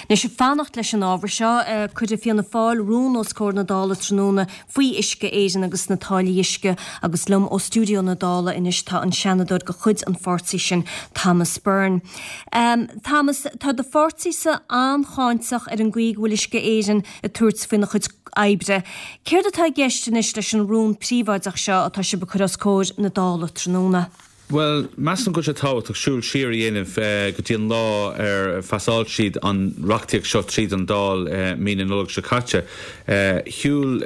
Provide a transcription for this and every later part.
Anois, ag fanacht leis an ábhar seo, cuirfidh Fianna Fáil rún os comhair na Dála tráthnóna faoi Uisce Éireann agus na táillí uisce agus liom ó stiúideo na Dála anois tá an Seanadóir de chuid an pháirtí sin, Thomas Byrne. Thomas, tá do pháirtísa an-cháinteach ar an gcaoi go bhfuil Uisce Éireann ag tabhairt faoina chuid oibre. Céard atá i gceist anois leis an rún príobháideach seo atá sibh ag cur os comhair na Dála tráthnóna? Bhuel, measaim go bhfuil sé tábhachtach siúl siar a dhéanamh go dtí an lá ar phasáil siad an reachtaíocht seo tríd an Dáil mí na Nollag seo caite. Shiúil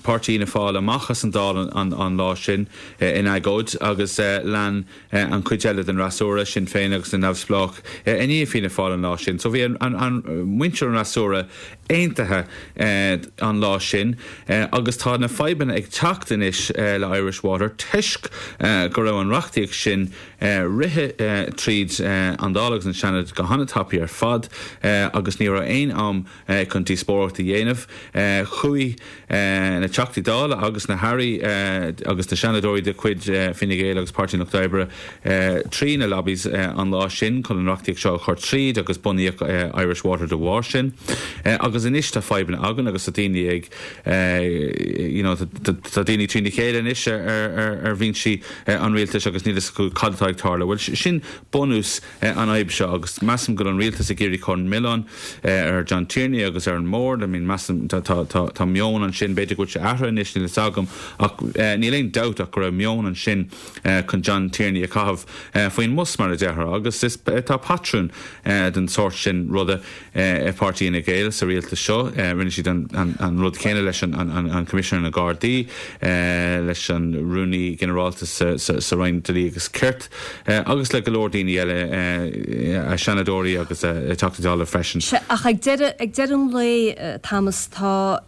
Páirtí Fhianna Fáil amach as an Dáil an lá sin in agóid agus lean an chuid eile den fhreasúra, Sinn Féin agus na Neamhspleách, i ndiaidh Fianna Fáil an lá sin. So bhí muintir an fhreasúra aontaithe an lá sin agus tá na fadhbanna ag teacht anois le Irish Water toisc go raibh an reachtaíocht sin rithe tríd an Dáil agus an Seanad go han-tapaidh ar fad agus ní raibh aon am chun díospóireacht a dhéanamh. Chuaigh na Teachtaí Dála agus na hAirí agus na Seanadóirí de chuid Fine Gael agus Páirtí an Lucht Oibre trí na lobbies an lá sin chun an reachtaíocht seo a chur tríd agus bunaíodh Irish Water de bharr sin. Agus anois tá fadhbanna againn agus tá daoine ag you know tá daoine trína chéile anois ar bhinsí an rialtais agus níl a fhios acu cad atá ag tarlú. Bhuel sin bunús an fhadhb seo agus measaim go bhfuil an rialtas ag iarraidh cur an milleán ar John Tierney agus ar an mbord. I mean measaim tá tá tá meon ansin, b'fhéidir go bhfuil sé athraithe anois, níl a fhios agam ach níl aon dabht ach go raibh meon ansin chun John Tierney a chaitheamh faoin mbus mar a déarfá agus is tá patrún den sórt sin ruda ag Páirtí Fhine Gael sa rialtas seo. Rinne siad an rud céanna leis an Coimisinéir na Gardaí, leis an Rúnaí Ginearálta sa Roinn Dlí agus Cirt agus le go leor daoine eile, Seanadóirí agus Teachtaí Dála freisin. Sea, ach ag deireadh an lae, Thomas, tá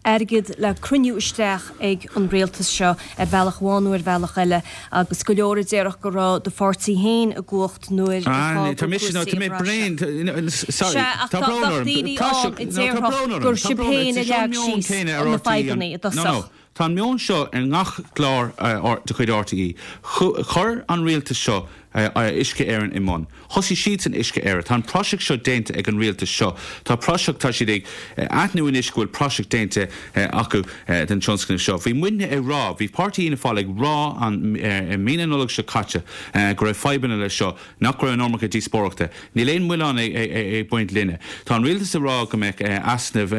airgead le cruinniú isteach ag an rialtas seo ar bhealach amháin nó ar bhealach eile agus go leor a déarfadh go raibh do pháirtí féin i gcumhacht nuair a fágadh cúrsaí an rath seo. Sea, ach tá daoine ann a déarfadh gur sibh féin a leag síos na fadhbanna i dtosach. Tá an meon seo ar ngach clár de chuid RTÉ. Chuir an rialtas seo Uisce Éireann i mbun. Thosaigh siadsan Uisce Éireann. Tá an praiseach seo déanta ag an rialtas seo. Tá praiseach, tá siad ag aithniú anois go bhfuil praiseach déanta acu den tionscnamh seo. Bhí muidne ag rá, bhí Páirtí Fhianna Fáil ag rá i mí na Nollag seo caite go raibh fadhbanna leis seo, nach raibh an iomarca díospóireachta. Níl aon mhilleán ag baint linne. Tá an rialtas ag rá go mbeadh easnamh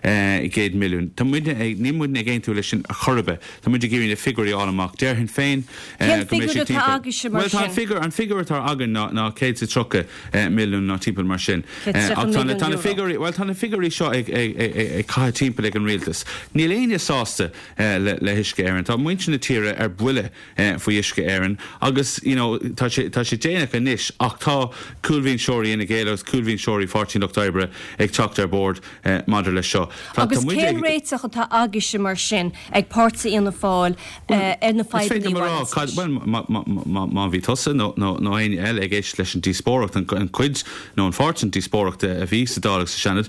800 milliún. Tá muidne ag, níl muidne ag aontú leis sin ar chor ar bith. Tá muid ag iarraidh na figiúirí a fháil amach. Déarfainn féin Cén go mbeidh figiúr sé atá timpeall, agaibhse mar bhuel tá an sin? figiúr, an figiúr atá againn ná, ná 130 milliún nó timpeall mar sin. 130 Ach tá na, tá na milliún euro. figiúirí, bhuel tá na figiúirí seo ag, ag, ag, ag caitheamh timpeall ag an rialtas. Níl éinne sásta le, le hUisce Éireann. Tá muintir na tíre ar buile faoi Uisce Éireann agus you know tá sé, tá sé déanach anois ach tá cúlbhinseoirí Fhine Gael agus cúlbhinseoirí Pháirtí an Lucht Oibre ag teacht ar bord maidir leis seo. Tá, Agus tá muid cén ag. réiteach atá agaibhse mar sin, ag Páirtí Fhianna Fáil, Bhuel, ar na is féidir fadhbanna liom a a rá bhaineanns cad, leis? bhuel, má, má, má, má bhí tusa nó, nó, nó éinne eile ag éisteacht leis an díospóireacht, an, an cuid nó an pháirt den díospóireacht a bhí sa Dáil agus sa Seanad,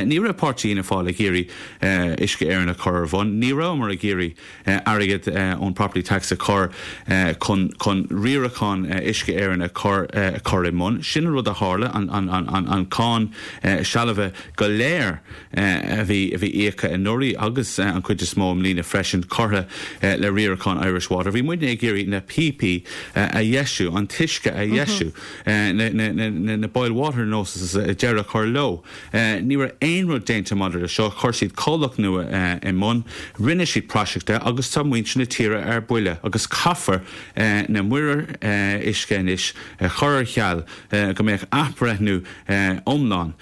ní raibh Páirtí Fhianna Fáil ag iarraidh Uisce Éireann a chur ar bun, ní rabhamar ag iarraidh airgead ón property tax a chur chun chun riarachán Uisce Éireann a chur a chur i mbun. Sin an rud a tharla, an an an an cáin sealbhaithe go léir a bhí a bhí íoctha anuraidh agus an chuid is mó i mbliana freisin curtha le riarachán Irish Water. Bhí muidne ag iarraidh na píopaí a dheisiú, an t-uisce a dheisiú, na na na na boil water notices deireadh a chur leo. Ní raibh aon rud déanta maidir le seo. Chuir siad comhlacht nua i mbun, rinne siad praiseach de agus tá muintir na tíre ar buile agus caithfear na muirir uisce anois a chur ar ceal go mbeadh athbhreithniú iomlán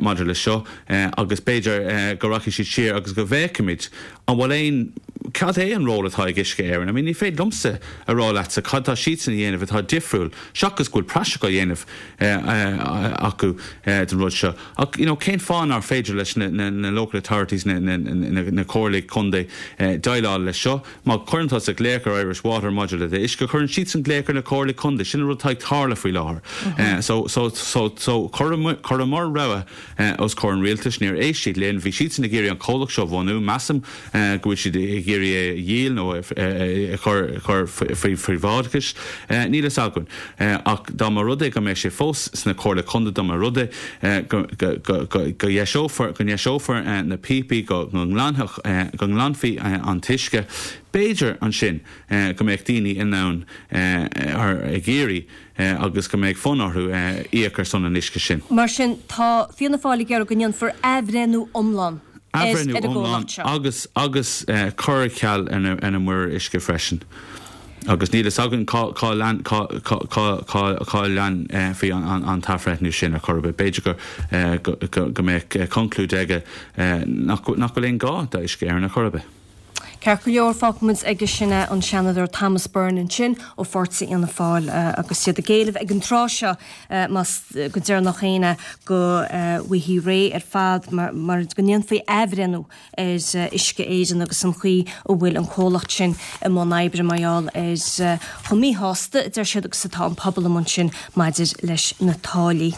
maidir le seo agus b'fhéidir go rachaidh siad siar agus go bhféachfaimid An bhfuil aon, cad é an ról atá ag Uisce Éireann? I mean ní féidir liomsa a rá leatsa cad tá siadsan a dhéanamh atá difriúil, seachas go bhfuil praiseach á dhéanamh acu den rud seo. Ach you know cén fáth nár féidir leis na na local authorities, na na na comhairlí contae déileáil leis seo? Má chuireann tusa glaoch ar Irish Water maidir le d'uisce, cuireann siadsan glaoch ar na comhairlí contae. Sin an rud atá ag tarlú faoi láthair. So so so so chuireamar rogha os comhair an rialtais. Níor éist siad linn. Bhí siadsan ag iarraidh an comhlacht seo a bhunú. Measaim go bhfuil siad ag iarraidh. iarraidh é a dhíol nó a chur faoi phríobháideachas. Níl fhios againn. Ach dá mba rud é go mbeidh sé fós sna Comhairle Contae, dá mba rud é go ndeiseofar, go ndeiseofar na píopaí, go nglanfadh, go nglanfaí an t-uisce, b'fhéidir ansin go mbeadh daoine in ann, ag iarraidh agus go mbeadh fonn orthu íoc ar son an uisce sin. Mar sin, tá Fianna Fáil ag iarraidh go ndéanfar athbhreithniú iomlán ar an Athbhreithniú iomlán gcomhlacht seo. agus agus cur ar ceal ar na muirir uisce freisin. Agus níl fhios againn cá cá lean cá cá cá cá cá leanfaí an t-athbhreithniú sin ar chor ar bith. B'fhéidir go go go mbeadh conclúid aige nach nach bhfuil aon ghá d'Uisce Éireann ar chor ar bith. Ceart go leor, fágfaimid aige sin é, an Seanadóir Thomas Byrne ansin ó pháirtí Fhianna Fáil agus iad ag éileamh ag an tráth seo, más go deireanach féin é, go bhfaighfí réidh ar fad mar go ndéanfaí athbhreithniú ar Uisce Éireann agus an chaoi a bhfuil an comhlacht sin i mbun oibre mar gheall ar chomh míshásta, a deir siad, agus atá an pobal amuigh ansin maidir leis na táillí.